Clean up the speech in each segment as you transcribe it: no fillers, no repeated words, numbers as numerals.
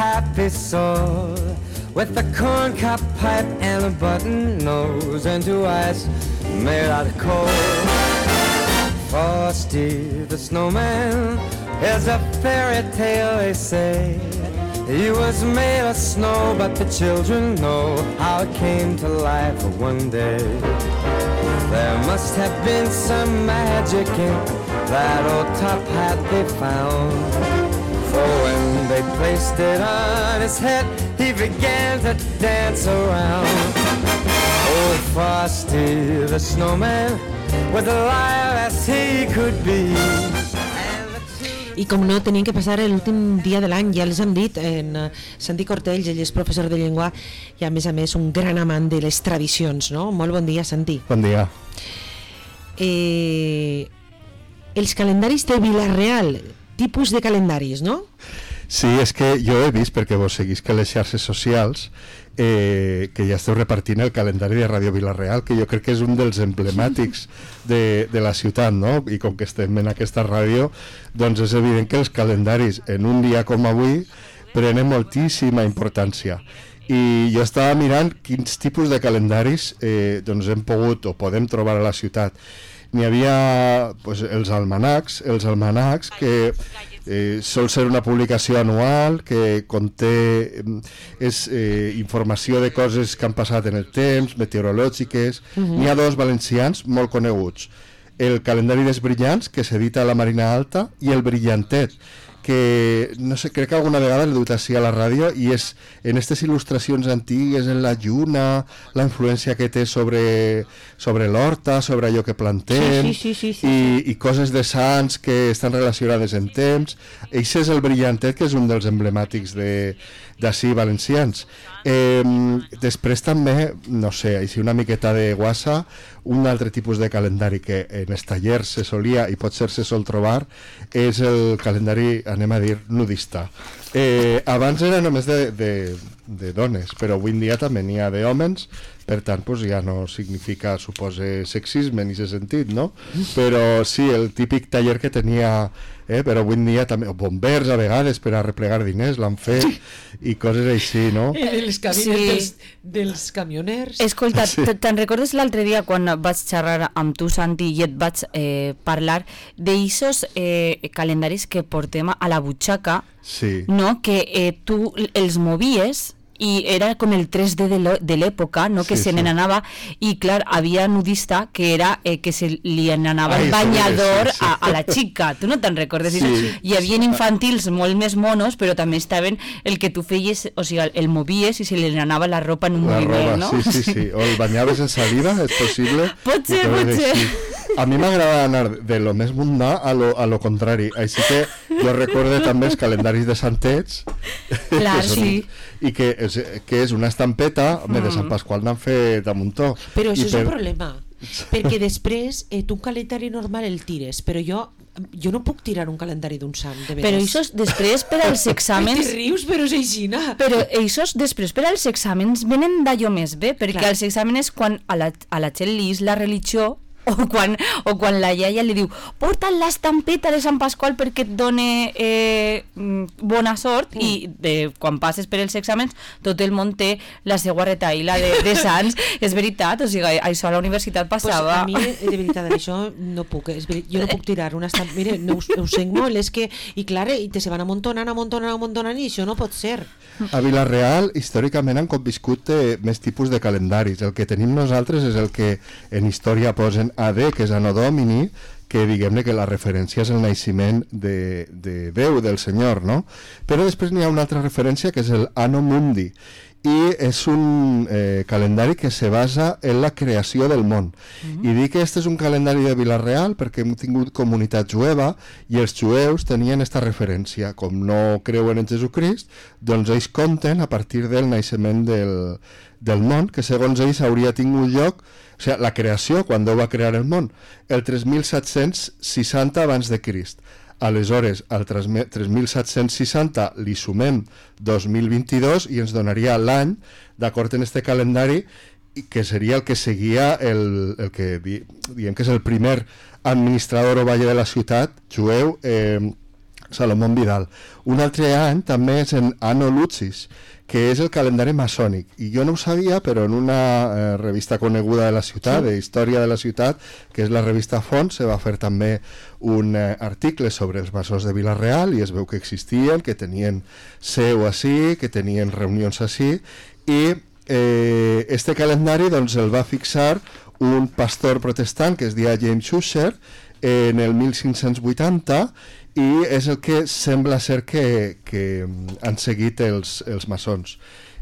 happy soul, with a corncob pipe and a button nose, and 2 eyes made out of coal. Frosty the Snowman is a fairy tale, they say. He was made of snow, but the children know how it came to life one day. There must have been some magic in that old top hat they found, for when they placed it on his head, he began to dance around. Oh, Frosty the Snowman was alive as he could be. I com no, tenien que passar l'últim dia de l'any, ja els hem dit, en Santi Cortells, ell és professor de llengua i a més un gran amant de les tradicions, no? Molt bon dia, Santi. Bon dia. Els calendaris de Vila-real, tipus de calendaris, no? Sí, és que jo he vist, perquè vos seguís que les xarxes socials, que ja esteu repartint el calendari de Ràdio Vila-real, que jo crec que és un dels emblemàtics de la ciutat, no? I com que estem en aquesta ràdio, doncs és evident que els calendaris en un dia com avui prenen moltíssima importància. I jo estava mirant quins tipus de calendaris doncs hem pogut o podem trobar a la ciutat. N'hi havia els almanacs que sol ser una publicació anual que conté informació de coses que han passat en el temps, meteorològiques. N'hi ha 2 valencians molt coneguts: el calendari dels brillants, que s'edita a la Marina Alta, i el brillantet, que no sé, crec que alguna vegada l'he dut així a la ràdio, i és en aquestes il·lustracions antigues, en la lluna, la influència que té sobre l'horta, sobre allò que plantem, sí. I coses de sants que estan relacionades en temps. Això és el brillantet, que és un dels emblemàtics d'ací valencians. Després també, no sé, així una miqueta de guassa, un altre tipus de calendari que en els tallers se solia i potser se sol trobar és el calendari, anem a dir, nudista. Abans era només de dones, però avui en dia també n'hi ha d'hòmens, per tant ja no significa, supose, sexisme en aquest sentit, no? Però sí, el típic taller que tenia, però avui en dia també, bombers a vegades per a replegar diners l'han fet i coses així, no? Dels camioners. Escolta, te'n recordes l'altre dia quan vaig xerrar amb tu, Santi, i et vaig parlar d'aixos calendaris que portem a la butxaca, no? Que tu els movies i era com el 3D de l'època, no? Que se n'anava, i clar, havia nudista que era que se li n'anava el banyador a la xica, tu no te'n recordes? Hi havia infantils molt més monos, però també estaven el que tu feies, o sigui, el movies i se li n'anava la ropa en un moviment, no? Sí, o el banyaves en saliva, és possible? Pot ser. A mi m'agrada anar de lo més mundà a lo contrari, així que jo recordo també els calendaris de santets, clar, sí, i que és una estampeta de Sant Pasqual n'han fet a muntó. Però això és un problema, perquè després tu un calendari normal el tires, però jo no puc tirar un calendari d'un sant, de veres. Però això després per als exàmens... Te rius, però és aixina. Però això després per als exàmens venen d'allò més bé, perquè als exàmens quan a la gent li és la religió, o quan la iaia li diu porta't l'estampeta de Sant Pasqual perquè et done bona sort, i quan passes per els exàmens tot el món té la seva retaïla de sants. És veritat, o sigui, això a la universitat passava. Pues a mi, de veritat, això no puc, jo no puc tirar una estampeta, mira, no ho sent molt, és que, i clar, i te se van amuntonant, i això no pot ser. A Vila-real, històricament han conviscut més tipus de calendaris. El que tenim nosaltres és el que en història posen AD, que és Anno Domini, que diguem-ne que la referència és el naixement de Déu, del Senyor, no? Però després n'hi ha una altra referència que és el Anno Mundi, i és un calendari que se basa en la creació del món. I dic que este és un calendari de Vila-real perquè hem tingut comunitat jueva i els jueus tenien esta referència. Com no creuen en Jesucrist, doncs ells compten a partir del naixement del món, que segons ells hauria tingut lloc, o sigui, la creació, quan Déu va crear el món, el 3760 abans de Crist. Aleshores, al 3760 li sumem 2022 i ens donaria l'any, d'acord en este calendari, que seria el que seguia el que diem que és el primer administrador o valle de la ciutat jueu, Salomón Vidal. Un altre any també és en Anno Lucis, que és el calendari maçònic, i jo no ho sabia, però en una revista coneguda de la ciutat, de història de la ciutat, que és la revista Font, se va fer també un article sobre els maçons de Vila-real, i es veu que existien, que tenien seu ací, que tenien reunions ací, i este calendari doncs, el va fixar un pastor protestant que es deia James Ussher en el 1580, i és el que sembla ser que han seguit els maçons.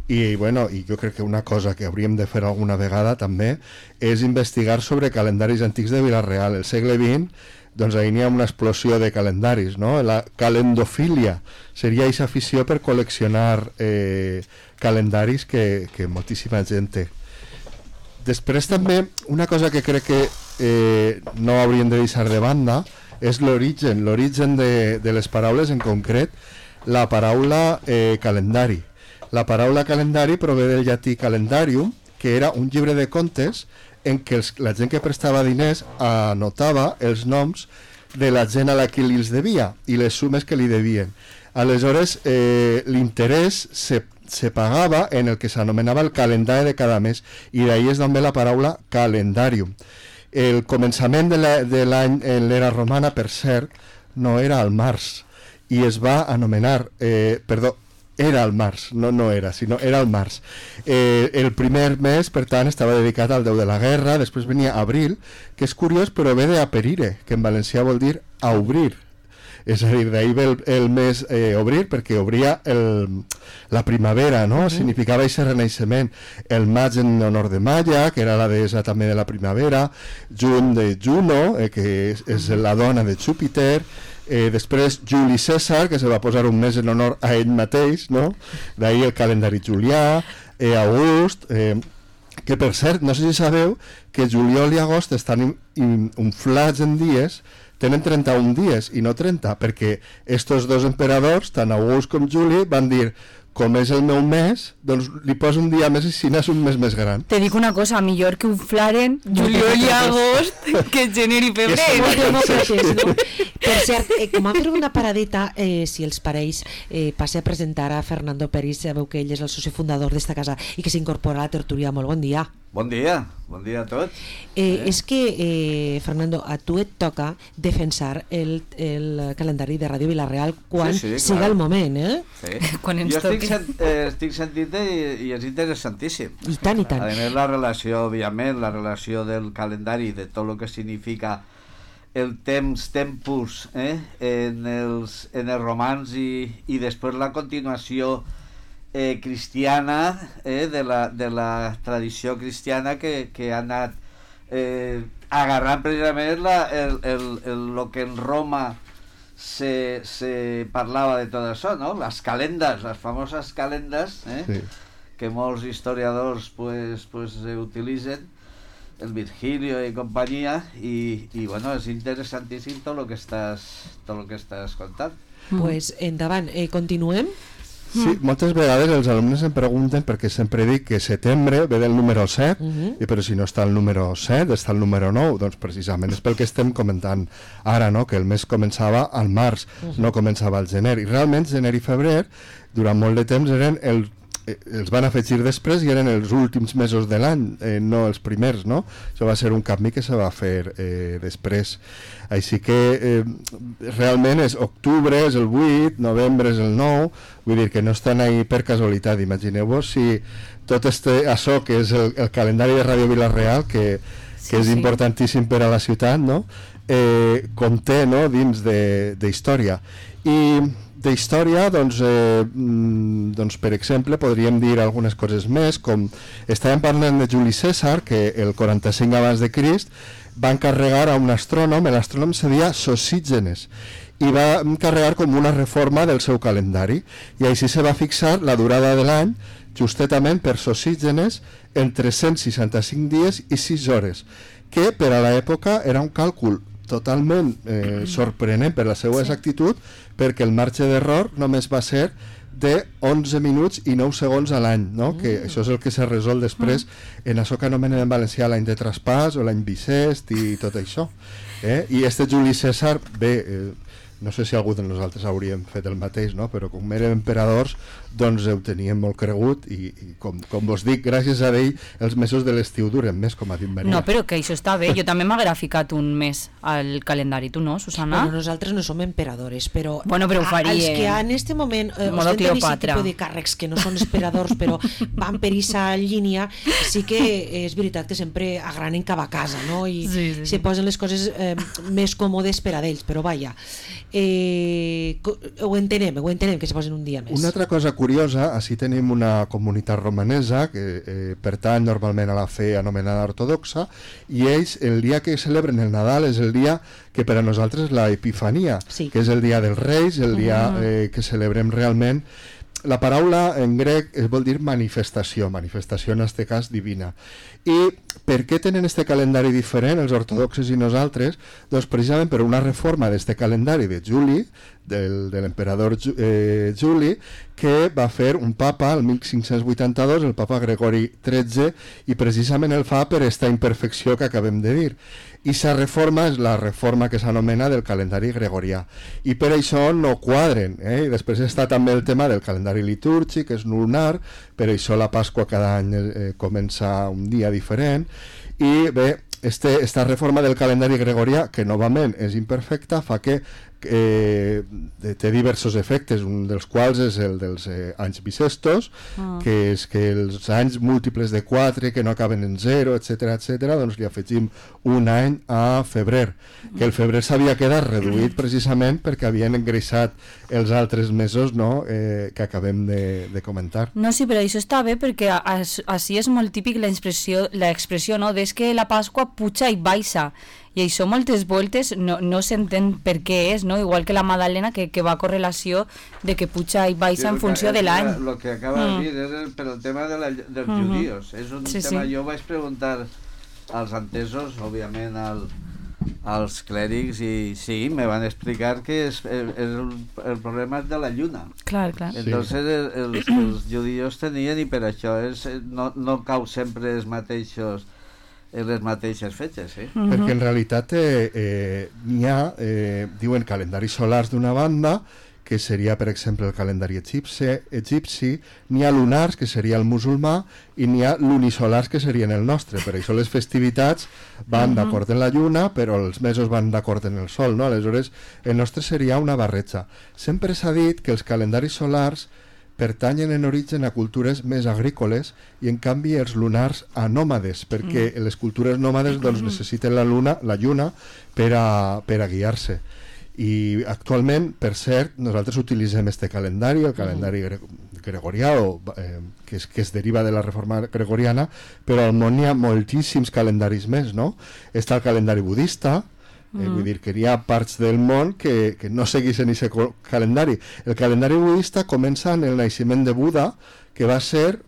I, bueno, i jo crec que una cosa que hauríem de fer alguna vegada també és investigar sobre calendaris antics de Vila-real. El segle XX, doncs ahir n'hi ha una explosió de calendaris, no? La calendofília seria aquesta afició per col·leccionar calendaris que moltíssima gent té. Després també, una cosa que crec que no hauríem de deixar de banda és l'origen de les paraules, en concret la paraula calendari. La paraula calendari prové del llatí calendarium, que era un llibre de contes en què la gent que prestava diners anotava els noms de la gent a la que li els devia i les sumes que li devien. Aleshores, l'interès se pagava en el que s'anomenava el calendari de cada mes, i d'ahir és també la paraula calendarium. El començament de l'any en l'era romana, per cert, no era al març, i es va anomenar, era al març, no era, sinó era al març. El primer mes, per tant, estava dedicat al déu de la guerra, després venia abril, que és curiós, però ve d'aperire, que en valencià vol dir a obrir. És a dir, d'ahir ve el mes obrir, perquè obria la primavera, no? Significava aquest renaixement. El maig en honor de Maya, que era la deessa també de la primavera, juny de Juno, que és la dona de Júpiter, després Juli Cèsar, que se va posar un mes en honor a ell mateix, no? D'ahir el calendari julià, August, que per cert, no sé si sabeu que juliol i agost estan inflats en dies, tenen 31 dies i no 30, perquè estos dos emperadors, tant August com Juli, van dir, com és el meu mes, doncs li poso un dia més i si n'és un mes més gran. Te dic una cosa, millor que un flaren juliol i agost que gener i febrer. No? Per cert, com a fer una paradeta, si els pareix, passe a presentar a Fernando Peris, sabeu que ell és el soci fundador d'esta casa i que s'incorpora a la tertúlia. Molt bon dia. Bon dia a tots. És que, Fernando, a tu et toca defensar el calendari de Ràdio Vila-real quan siga el moment, eh? Sí. Quan ens jo estic sentint i és interessantíssim. I tant, i tant. A més, la relació, òbviament, la relació del calendari, de tot el que significa el tempus en els romans i després la continuació cristiana, de la tradició cristiana que ha anat agarrant precisament el que en Roma se parlava de tot això, no? Les calendes, les famoses calendes, sí, que molts historiadors pues utilitzen, el Virgilio i companyia, i bueno, és interessantíssim tot el que estàs contant. Pues endavant, continuem. Sí, moltes vegades els alumnes em pregunten, perquè sempre dic que setembre ve del número 7, i però si no està el número 7, està el número 9, doncs precisament és pel que estem comentant ara, no? Que el mes començava al març, no començava al gener, i realment gener i febrer durant molt de temps eren els van afegir després i eren els últims mesos de l'any, no els primers, no? Això va ser un canvi que se va fer després. Així que realment és octubre, és el 8, novembre és el 9, vull dir que no estan ahí per casualitat. Imagineu-vos si tot això que és el calendari de Ràdio Vila-real, que és importantíssim per a la ciutat, no? Conté, no? Dins d'història. I d'història, doncs per exemple, podríem dir algunes coses més, com estàvem parlant de Juli Cèsar, que el 45 abans de Crist va encarregar a un astrònom, l'astrònom se deia Sosígenes, i va encarregar com una reforma del seu calendari, i així se va fixar la durada de l'any, justetament per Sosígenes, en 365 dies i 6 hores, que per a l'època era un càlcul totalment sorprenent per la seva exactitud, perquè el marge d'error només va ser de 11 minuts i 9 segons a l'any, no? Que això és el que s'ha resolt després en això que anomenen en valencià l'any de traspàs o l'any bisest i tot això. I este Juli Cèsar, bé, no sé si algú de nosaltres hauríem fet el mateix, no? Però com érem emperadors, doncs ho teníem molt cregut i com vos dic, gràcies a ell els mesos de l'estiu duren més, com ha dit Maria. No, però que això està bé, jo també m'haguera ficat un mes al calendari, tu no, Susana? Bueno, nosaltres no som emperadores, però, bueno, però ho faríem. Els que en este moment ostenten aquest tipus de càrrecs que no són emperadors però van per aquesta línia, sí que és veritat que sempre agranen cap a casa, no? I se posen les coses més còmodes per a ells, però vaja, ho entenem que se posen un dia més. Una altra cosa curiosa, així tenim una comunitat romanesa que pertany normalment a la fe anomenada ortodoxa, i ells el dia que celebren el Nadal és el dia que per a nosaltres és l'Epifania, que és el dia dels Reis, el dia que celebrem realment. La paraula en grec vol dir manifestació en este cas divina. I per què tenen este calendari diferent els ortodoxes i nosaltres? Doncs precisament per una reforma d'este calendari de Juli, de l'emperador Juli, que va fer un papa el 1582, el papa Gregori XIII, i precisament el fa per esta imperfecció que acabem de dir. I sa reforma és la reforma que s'anomena del calendari gregorià, i per això no quadren, I després està també el tema del calendari litúrgic, que és lunar, per això la Pasqua cada any comença un dia diferent, i bé, esta reforma del calendari gregorià, que novament és imperfecta, fa que té diversos efectes, un dels quals és el dels anys bisestos, que és que els anys múltiples de 4 que no acaben en 0, etc, doncs li afegim un any a febrer, que el febrer s'havia quedat reduït precisament perquè havien engreixat els altres mesos, no? Que acabem de comentar. No, sí, però això està bé perquè així és molt típic l'expressió, no? Des que la Pasqua puja i baixa, i això moltes voltes no s'entén per què és, no? Igual que la Madalena, que va a correlació de que puja i baixa en funció de l'any. Lo que acaba de dir és per el tema dels judíos. És un tema, jo vaig preguntar als entesos, òbviament als clèrics, i sí, me van explicar que el problema és de la lluna. Clar. Entonces els judíos tenien, i per això no cau sempre els mateixos en les mateixes fetges, Perquè en realitat n'hi ha, diuen calendaris solars d'una banda, que seria per exemple el calendari egipci, n'hi ha lunars, que seria el musulmà, i n'hi ha lunisolars, que serien el nostre. Per això les festivitats van d'acord en la lluna, però els mesos van d'acord en el sol, no? Aleshores el nostre seria una barreja. Sempre s'ha dit que els calendaris solars pertanyen en origen a cultures més agrícoles i en canvi els lunars a nòmades, perquè les cultures nòmades doncs, necessiten la lluna per a guiar-se. I actualment, per cert, nosaltres utilitzem este calendari, el calendari gregorià, que es deriva de la reforma gregoriana, però al món hi ha moltíssims calendaris més, no? Està el calendari budista, vull dir que hi ha parts del món que no segueixen aquest calendari. El calendari budista comença en el naixement de Buda, que va ser,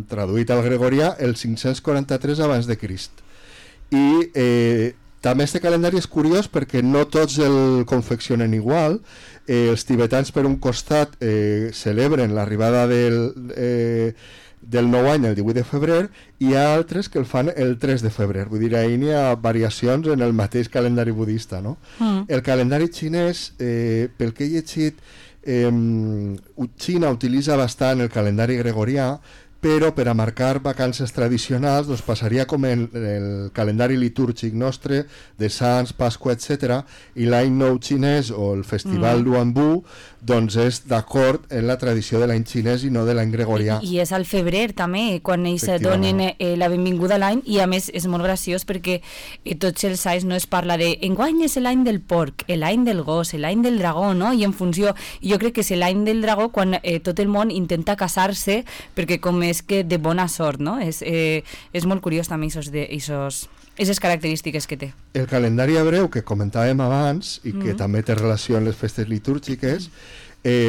traduït al gregorià, el 543 abans de Crist. I també aquest calendari és curiós perquè no tots el confeccionen igual. Els tibetans, per un costat, celebren l'arribada del nou any el 18 de febrer, i hi ha altres que el fan el 3 de febrer. Vull dir, ahir n'hi ha variacions en el mateix calendari budista, no? El calendari xinès, pel que he llegit, Xina utilitza bastant el calendari gregorià, però per a marcar vacances tradicionals doncs passaria com el calendari litúrgic nostre de Sants, Pasqua, etc. I l'any nou xinès o el festival Luanbu doncs és d'acord en la tradició de l'any xinès i no de l'any gregorià. I és al febrer també, quan ells donen la benvinguda a l'any, i a més és molt graciós perquè tots els anys no es parla de enguany és l'any del porc, l'any del gos, l'any del dragó, no? I en funció, jo crec que és l'any del dragó quan tot el món intenta casar-se, perquè com és que de bona sort, no? És molt curiós també aquestes característiques que té. El calendari hebreu que comentàvem abans i que també té relació amb les festes litúrgiques,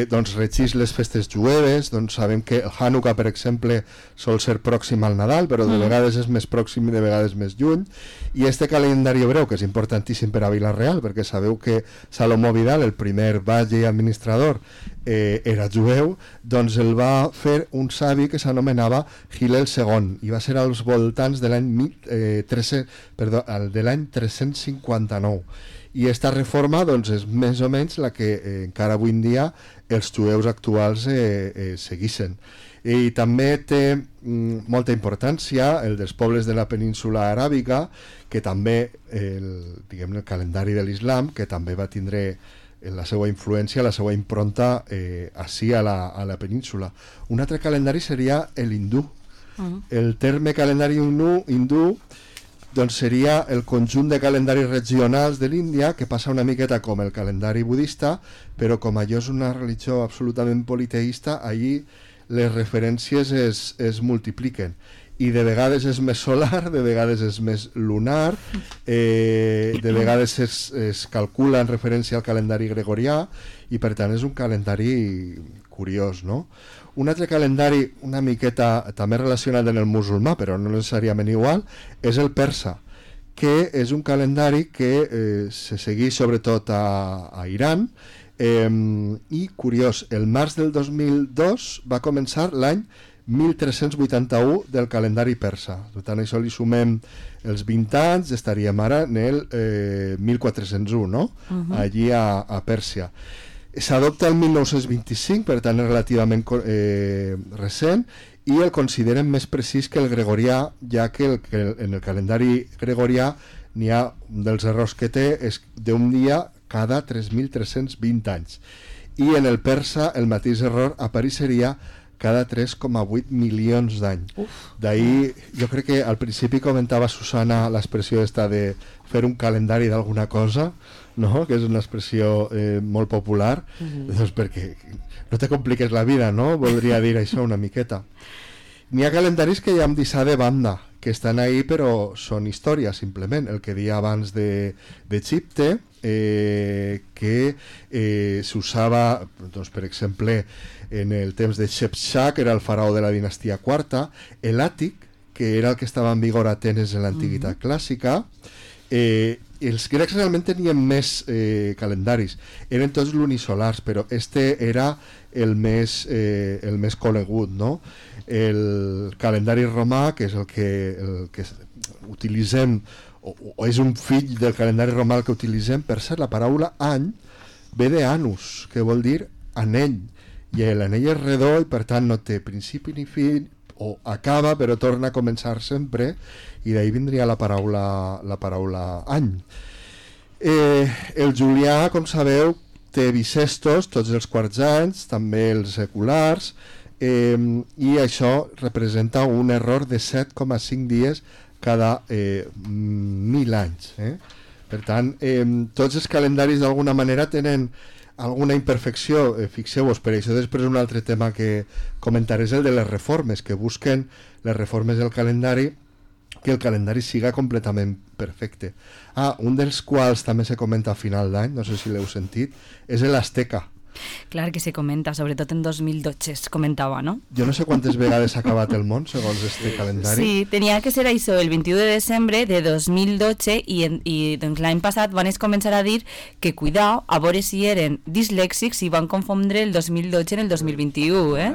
doncs regeix les festes jueves. Doncs sabem que el Hanukkah, per exemple, sol ser pròxim al Nadal, però de vegades és més pròxim i de vegades més lluny. I este calendari hebreu, que és importantíssim per a Vila-real, perquè sabeu que Salomó Vidal, el primer batlle i administrador, era jueu, doncs el va fer un savi que s'anomenava Hillel II, i va ser als voltants de l'any 359. I aquesta reforma doncs, és més o menys la que encara avui en dia els jueus actuals segueixen. I també té molta importància el dels pobles de la península aràbiga, que també el calendari de l'islam, que també va tindre la seva influència, la seva impronta així a la península. Un altre calendari seria l'hindú. El terme calendari hindú doncs seria el conjunt de calendaris regionals de l'Índia, que passa una miqueta com el calendari budista, però com allò és una religió absolutament politeïsta, allí les referències es multipliquen. I de vegades és més solar, de vegades és més lunar, de vegades es calcula en referència al calendari gregorià, i per tant és un calendari curiós, no? Un altre calendari una miqueta també relacionat amb el musulmà, però no necessàriament igual, és el persa, que és un calendari que se segueix sobretot a Iran, i curiós, el març del 2002 va començar l'any 1381 del calendari persa. Per tant, això li sumem els 20 anys, estaríem ara en el 1401, no? Allí a Pèrsia. S'adopta el 1925, per tant és relativament recent, i el consideren més precís que el gregorià, ja que en el calendari gregorià n'hi ha un dels errors que té és d'un dia cada 3.320 anys, i en el persa el mateix error apareixeria cada 3,8 milions d'anys. D'ahir, jo crec que al principi comentava Susana l'expressió esta de fer un calendari d'alguna cosa, no? Que és una expressió molt popular, doncs perquè no te compliques la vida, no? Voldria dir això una miqueta. N'hi ha calendaris que ja hem deixat de banda, que estan ahí però són història, simplement. El que deia abans d'Egipte, que s'usava, doncs, per exemple, en el temps de Shepshak, que era el faraó de la dinastia quarta, l'àtic, que era el que estava en vigor a Atenes en l'antiguitat clàssica. Els grecs realment tenien més calendaris, eren tots lunisolars, però este era el més conegut, no? El calendari romà, que és el que utilitzem, o és un fill del calendari romà que utilitzem, per cert, la paraula any ve de anus, que vol dir anell, i l'anell és redó i per tant no té principi ni fi, o acaba però torna a començar sempre, i d'ahir vindria la paraula any. El julià, com sabeu, té bisestos tots els quarts anys, també els seculars, i això representa un error de 7,5 dies cada 1.000 anys. Per tant, tots els calendaris d'alguna manera tenen alguna imperfecció, fixeu-vos, per això després un altre tema que comentaré és el de les reformes, que busquen les reformes del calendari, que el calendari siga completament perfecte. Un dels quals també se comenta a final d'any, no sé si l'heu sentit, és l'Azteca. Clar que se comenta, sobretot en 2012 es comentava, no? Jo no sé quantes vegades s'ha acabat el món segons este calendari. Sí, tenia que ser això el 21 de desembre de 2012 i doncs l'any passat van començar a dir que cuidao, a veure si eren dislèxics i van confondre el 2012 en el 2021,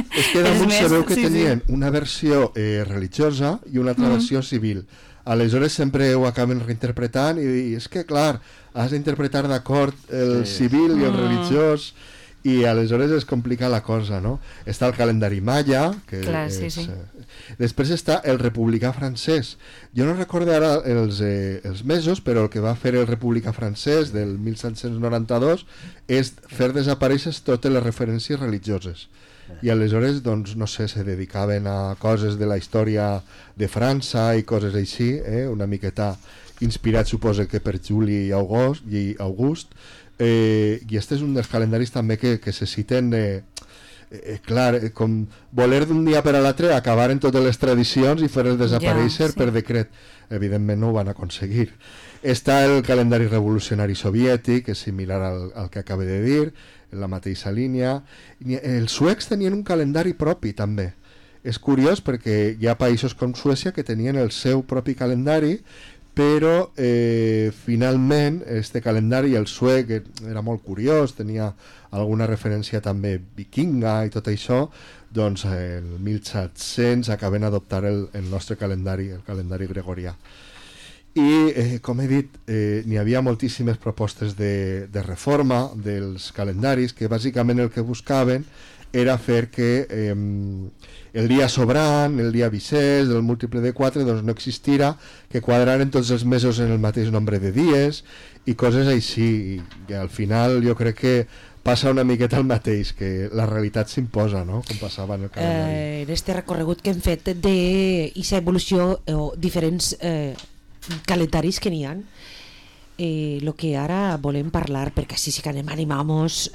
És que damunt sabeu que tenien una versió religiosa i una altra versió civil. Aleshores sempre ho acaben reinterpretant i és que, clar, has d'interpretar d'acord el civil i el religiós i aleshores es complica la cosa, no? Està el calendari maia, que clar, és... Després està el republicà francès. Jo no recordo ara els mesos, però el que va fer el republicà francès del 1792 és fer desaparèixer totes les referències religioses. I aleshores, doncs, no sé, se dedicaven a coses de la història de França i coses així, una miqueta inspirat, suposa que per Juli i August, i este és un dels calendaris també que se citen, clar, com voler d'un dia per a l'altre acabar en totes les tradicions i fer-les desaparèixer per decret. Evidentment no ho van aconseguir. Està el calendari revolucionari soviètic, que és similar al que acabo de dir, en la mateixa línia. Els suecs tenien un calendari propi també. És curiós perquè hi ha països com Suècia que tenien el seu propi calendari, però finalment este calendari, el suec, era molt curiós, tenia alguna referència també vikinga i tot això, doncs el 1700 acaben adoptar el nostre calendari, el calendari gregorià. i com he dit n'hi havia moltíssimes propostes de reforma dels calendaris que bàsicament el que buscaven era fer que el dia sobrant, el dia bisès, el múltiple de 4 doncs no existira, que quadraren tots els mesos en el mateix nombre de dies i coses així, i al final jo crec que passa una miqueta el mateix, que la realitat s'imposa, no? Com passava en el calendari. En este recorregut que hem fet d'aquesta evolució o diferents calendaris que n'hi ha, el que ara volem parlar, perquè així sí que anem animamos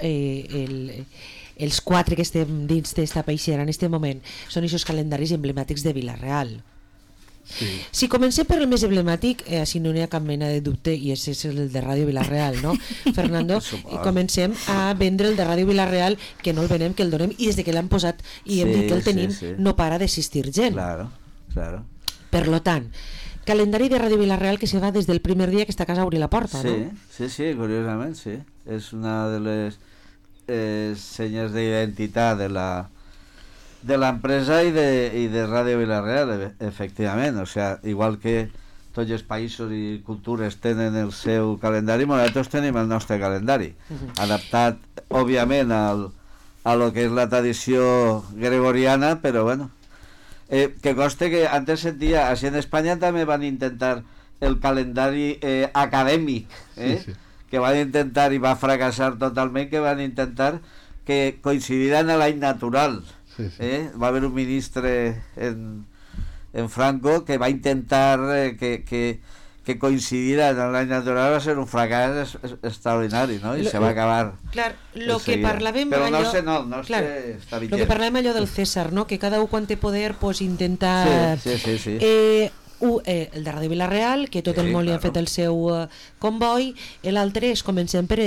els 4 que estem dins d'esta peixera en aquest moment, són aquests calendaris emblemàtics de Vila-real. Sí. Si comencem per el més emblemàtic, així no n'hi ha cap mena de dubte, i és el de Ràdio Vila-real, no, Fernando? I comencem a vendre el de Ràdio Vila-real, que no el venem, que el donem, i des de que l'han posat i hem dit que el tenim, no para d'assistir gent. Claro. Per lo tant, calendari de Ràdio Vila-real que se va des del primer dia que esta casa obri la porta, no? Sí, curiosament, sí. És una de les senyes d'identitat de l'empresa i de Ràdio Vila-real, efectivament. O sea, igual que tots els països i cultures tenen el seu calendari, nosaltres tenim el nostre calendari, adaptat, òbviament, a lo que és la tradició gregoriana, però bueno, que conste que antes sentia, així en Espanya també van intentar el calendari acadèmic, sí. Que van intentar, i va fracassar totalment, que van intentar que coincidira en l'any natural. Sí. Va haver un ministre en Franco que va intentar que coincidira en l'any natural, va ser un fracàs extraordinari, no? I se va acabar. Clar, lo que parlàvem però allò... no sé, està vigent. Lo que parlàvem allò del César, no? Que cada un quan té poder pues intenta... Sí. El de Ràdio Vila-real, que tot el món li ha fet el seu comboi, l'altre és comencem per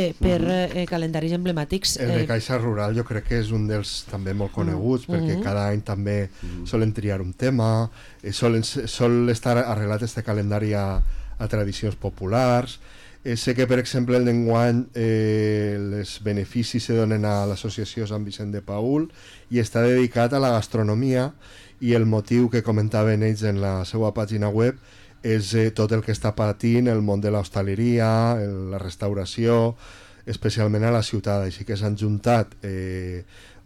calendaris emblemàtics. El de Caixa Rural jo crec que és un dels també molt coneguts, perquè cada any també solen triar un tema, sol estar arreglat este calendari a tradicions populars. Sé que, per exemple, d'enguany els beneficis se donen a l'associació Sant Vicent de Paül i està dedicat a la gastronomia, i el motiu que comentaven ells en la seva pàgina web és tot el que està patint el món de l'hostaleria, la restauració, especialment a la ciutat. Així que s'han juntat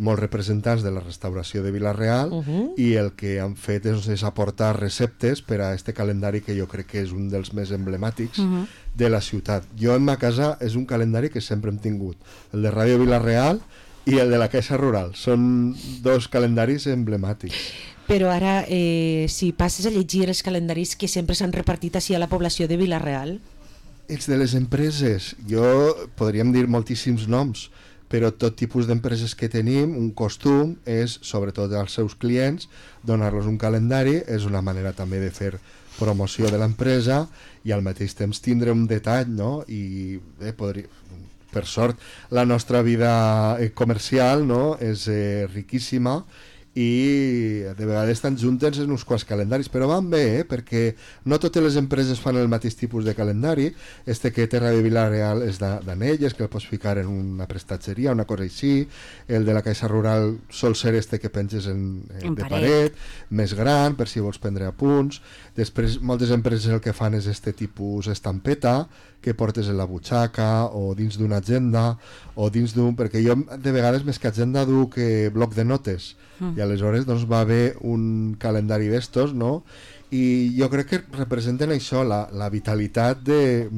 molts representants de la restauració de Vila-real i el que han fet és aportar receptes per a este calendari que jo crec que és un dels més emblemàtics de la ciutat. Jo en ma casa és un calendari que sempre hem tingut, el de Ràdio Vila-real i el de la Caixa Rural. Són dos calendaris emblemàtics. Però ara, si passes a llegir els calendaris que sempre s'han repartit així a la població de Vila-real... Els de les empreses, podríem dir moltíssims noms, però tot tipus d'empreses que tenim, un costum és, sobretot als seus clients, donar-los un calendari, és una manera també de fer promoció de l'empresa i al mateix temps tindre un detall, no? I per sort la nostra vida comercial, no? És riquíssima i de vegades estan juntes en uns quants calendaris, però van bé, perquè no totes les empreses fan el mateix tipus de calendari. Este que té Ràdio Vila-real és d'anelles, que el pots ficar en una prestatgeria, una cosa així. El de la Caixa Rural sol ser este que penges de paret, més gran, per si vols prendre apunts. Després, moltes empreses el que fan és este tipus estampeta, que portes en la butxaca o dins d'una agenda o dins d'un... perquè jo de vegades més que agenda duc bloc de notes i aleshores doncs va haver un calendari d'estos, no? I jo crec que representen això, la vitalitat de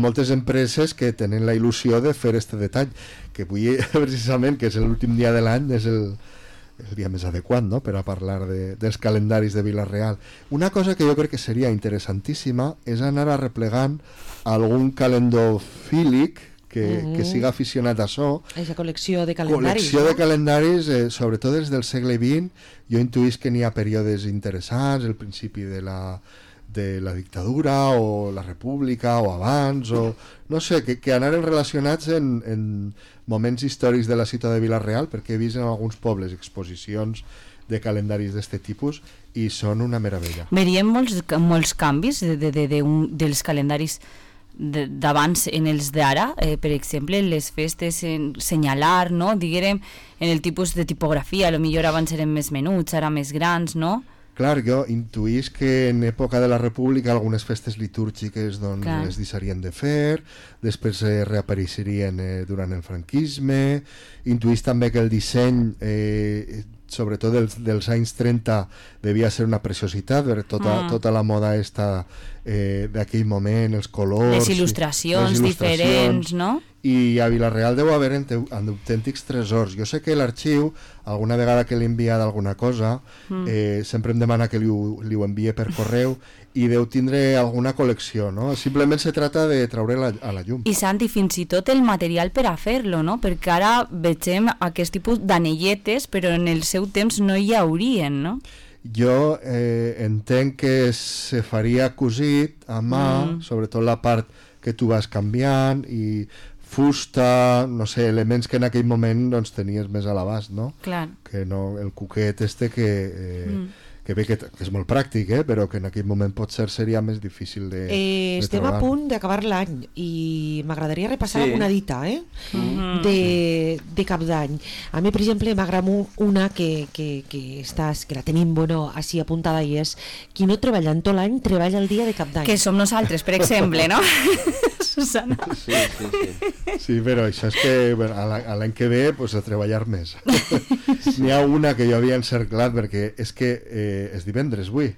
moltes empreses que tenen la il·lusió de fer este detall, que avui precisament, que és l'últim dia de l'any, és el dia més adequat, no?, per a parlar dels calendaris de Vila-real. Una cosa que jo crec que seria interessantíssima és anar arreplegant algun calendofílic que siga aficionat a això. Aquesta col·lecció de calendaris. Col·lecció de calendaris, sobretot des del segle XX. Jo intuïs que n'hi ha períodes interessants, el principi de la dictadura o la república o abans, o no sé, que anaren relacionats en moments històrics de la ciutat de Vila-real, perquè he vist en alguns pobles exposicions de calendaris d'aquest tipus i són una meravella. Veiem molts canvis dels calendaris d'abans en els d'ara, per exemple les festes en senyalar, no? Diguem, en el tipus de tipografia, potser abans eren més menuts, ara més grans, no? Clar, jo intuís que en època de la República algunes festes litúrgiques doncs, les deixarien de fer, després reapareixerien durant el franquisme, intuís també que el disseny sobretot dels anys 30 devia ser una preciositat, tota la moda d'aquell moment, els colors, les il·lustracions diferents, no? I a Vila-real deu haver autèntics tresors. Jo sé que l'arxiu, alguna vegada que li he enviat alguna cosa, sempre em demana que li ho envie per correu, i deu tindre alguna col·lecció, no? Simplement se trata de treure a la llum. I Santi, fins i tot el material per a fer-lo, no? Perquè ara vegem aquest tipus d'anelletes, però en el seu temps no hi haurien, no? Jo entenc que se faria cosit a mà, sobretot la part que tu vas canviant, i fusta, no sé, elements que en aquell moment doncs, tenies més a l'abast, no? Clar. Que no, el cuquet que bé que és molt pràctic, però que en aquell moment potser seria més difícil de estem trobar. A punt d'acabar l'any i m'agradaria repassar una dita de Cap d'Any. A mi, per exemple, m'agrada una que la tenim així apuntada, i és: qui no treballa en tot l'any treballa el dia de Cap d'Any. Que som nosaltres, per exemple, no? Susana. Sí, però això és que l'any que ve pues, a treballar més. N'hi ha una que jo havia encerclat perquè és que és divendres avui.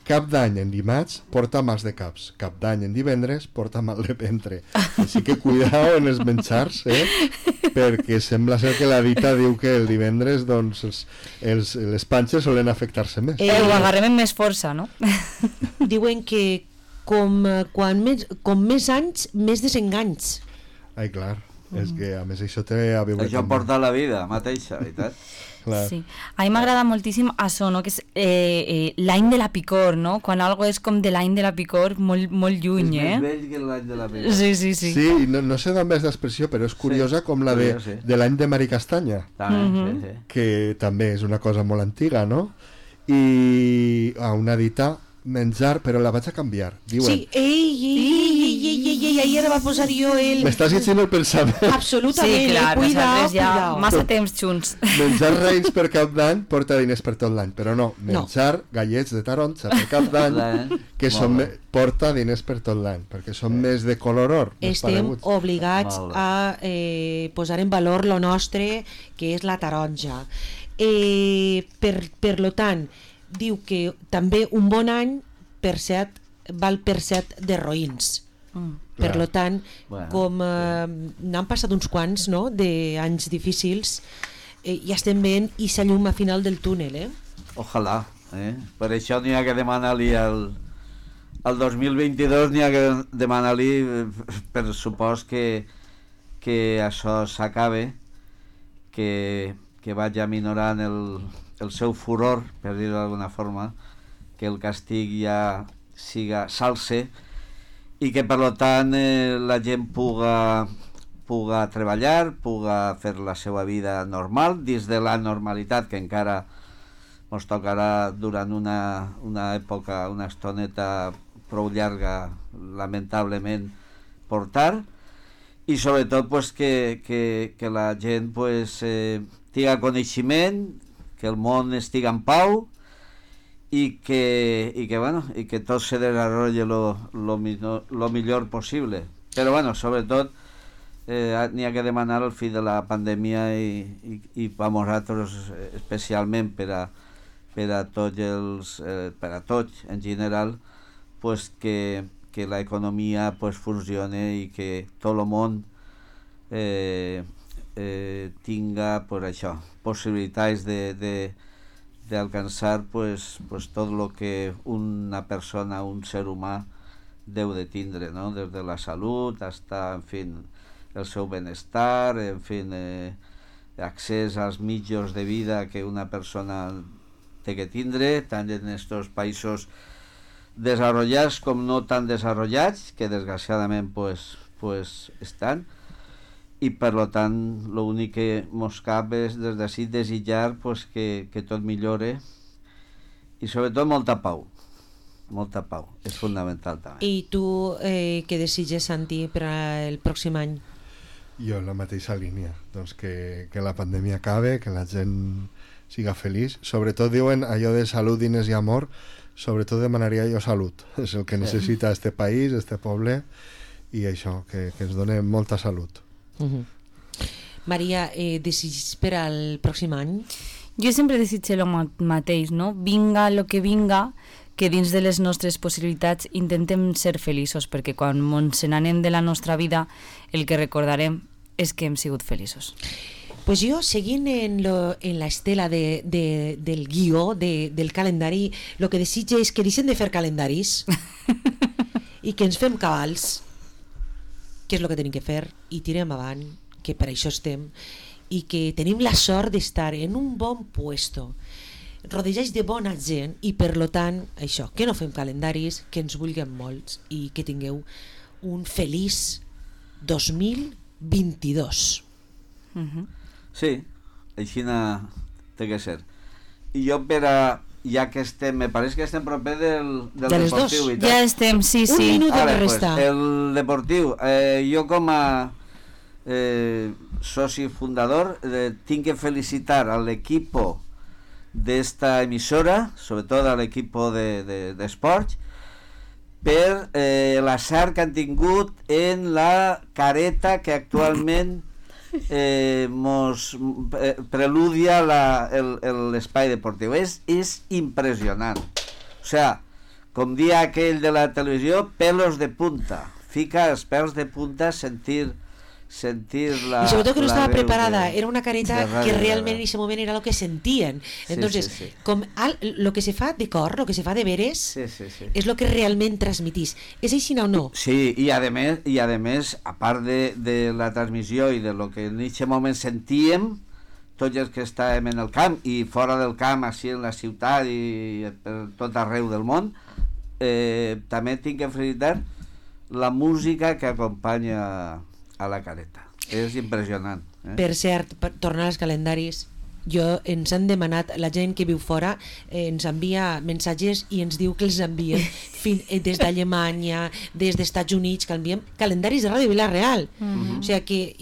Cap d'any en dimarts porta mal de caps, cap d'any en divendres porta mal de ventre. Així que cuidao en els menjars, perquè sembla ser que la dita diu que el divendres doncs, les panxes solen afectar-se més. Ho agarrem amb més força, no? Diuen que com més anys, més desenganys. Ai, clar, és que a més això té a veure... Això porta la vida mateixa, veritat? Sí. A mi m'agrada moltíssim això, no? Que és l'any de la picor, no? Quan algo és com de l'any de la picor molt, molt lluny, És més vell que l'any de la picor. Sí. Sí, no sé d'on és l'expressió, però és curiosa com la de l'any de Mari Castanya, que també és una cosa molt antiga, no? I una dita menjar, però la vaig a canviar. Diuen... Sí, ahir ara va posar jo el... M'estàs llegint el pensament. Absolutament, sí, clar, cuidao. Massa temps junts. Menjar raïms per Cap d'Any porta diners per tot l'any, però no, menjar gallets de taronja per Cap d'Any que porta diners per tot l'any, perquè són més de color or. Estem obligats a posar en valor lo nostre, que és la taronja. Per lo tant, diu que també un bon any val per 7 de roïns. Per lo tant, com n'han passat uns quants d'anys difícils, ja estem veient i la llum a final del túnel. Ojalà. Per això n'hi ha que demanar-li al 2022, n'hi ha que demanar-li per supòs que això s'acabe, que vagi minorant el seu furor, per dir-ho d'alguna forma, que el castig ja s'alce, i que per tant la gent puga treballar, puga fer la seva vida normal, dins de la normalitat que encara ens tocarà durant una època, una estoneta prou llarga, lamentablement, portar, i sobretot pues, que la gent pues, tinga coneixement, que el món estigui en pau, i que tot se desarrolle lo millor possible. Però bueno, sobretot n'hi ha que demanar al fi de la pandèmia i per nosaltres especialment per a tots en general, pues que l'economia pues funcione i que tot el món tinga pues això, possibilitats de alcançar pues tot lo que una persona, un ser humà deu de tindre, ¿no? Des de la salut hasta, en fin, el seu benestar, en fin, accés als mitjans de vida que una persona té que tindre, tant en estos països desarrollats com no tan desarrollats, que desgraciadament pues estan, i per tant l'únic que mos cap és des d'ací desitjar pues, que tot millore i sobretot molta pau, és fundamental també. I tu què desitges, Santi, per al pròxim any? Jo en la mateixa línia, doncs que la pandèmia acabe, que la gent siga feliç. Sobretot diuen allò de salut, diners i amor, sobretot demanaria jo salut. És el que necessita este país, este poble, i això, que ens doni molta salut. Maria, desitges per al pròxim any? Jo sempre desitjo el mateix, no? Vinga el que vinga, que dins de les nostres possibilitats intentem ser feliços, perquè quan ens n'anem de la nostra vida el que recordarem és que hem sigut feliços. Pues jo, seguint en la estela del guió, del calendari, el que desitge és que deixem de fer calendaris i que ens fem cabals, que és el que tenim que fer, i tirem avant, que per això estem, i que tenim la sort d'estar en un bon puesto, rodejats de bona gent, i per lo tant, això, que no fem calendaris, que ens vulguem molts i que tingueu un feliç 2022. Sí, així té que ser. I jo ja que estem, me pareix que estem proper del deportiu. Ja estem, sí. Un minut de resta. Pues, el deportiu, jo com a soci fundador tinc que felicitar al equipo de esta emisora, sobretot al equipo d'esports, per l'assart que han tingut en la careta que actualment mos preludia l'espai deportiu. És impressionant. O sea, com dia aquell de la televisió, pelos de punta. Fica els pèls de punta sentir la... Y sobre todo que no estaba preparada, era una careta que realment en ese moment era lo que sentien. Entonces, sí. Com lo que se fa de cor, lo que se fa de veres, és lo que realment transmitís. És així o no? Sí, i a més, a part de la transmissió i de lo que en aquest moment sentíem, tots els que estàvem en el camp i fora del camp, així en la ciutat i per tot arreu del món, també tinc que felicitar la música que acompanya a la careta. És impressionant. Per cert, per tornar als calendaris, ens han demanat, la gent que viu fora ens envia missatges i ens diu que els enviem des d'Alemanya, des dels Estats Units, que enviem calendaris de Ràdio Vila-real. O sigui que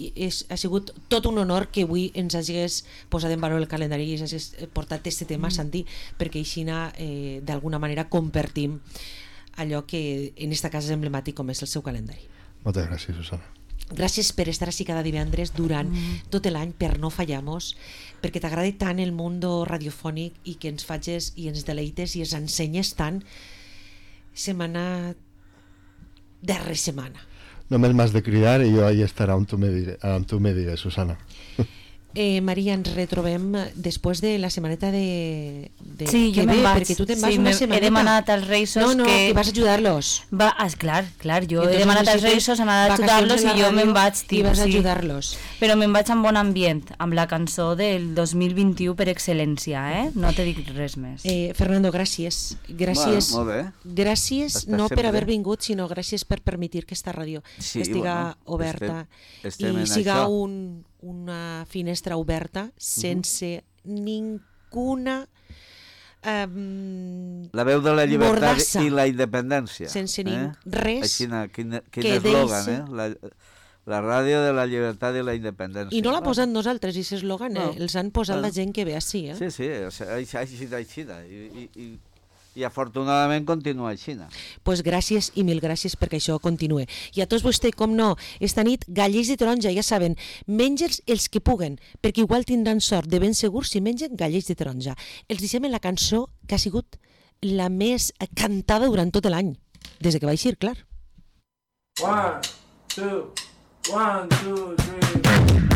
ha sigut tot un honor que avui ens hagis posat en valor el calendari i ens hagis portat aquest tema, Santi, perquè així d'alguna manera compartim allò que en esta casa és emblemàtic com és el seu calendari. Moltes gràcies, Susana. Gràcies per estar així cada divendres durant tot l'any, per no fallar-nos, perquè t'agrada tant el món radiofònic i que ens facis i ens deleites i ens ensenyes tant setmana darrere setmana. Només m'has de cridar i jo ahí estaré on tu me diràs, Susana. Maria, ens retrobem després de la setmaneta sí, jo me'n vaig, perquè tu te'n vas una setmaneta. He demanat als Reisos que vas a ajudar-los. Clar, jo he demanat als Reisos anar a ajudar-los i jo me'n vaig. I vas a ajudar-los. Però me'n vaig amb bon ambient, amb la cançó del 2021 per excel·lència, no te dic res més. Fernando, gràcies. Gràcies, molt bé. Gràcies no per haver vingut, sinó gràcies per permetir que esta ràdio estiga oberta i siga una finestra oberta sense ninguna la veu de la llibertat i la independència, sense res quin eslògan, la ràdio de la llibertat i la independència. I no l'ha posat nosaltres, aquest eslògan, els han posat la gent que ve així. Sí, així i afortunadament continua així. Pues gràcies i mil gràcies perquè això continue. I a tots vostès, com no, esta nit gallets de taronja, ja saben, menja'ls els que puguen, perquè igual tindran sort de ben segur si mengen gallets de taronja. Els deixem en la cançó que ha sigut la més cantada durant tot l'any, des que va eixir, clar. 1, 2, 1, 2, 3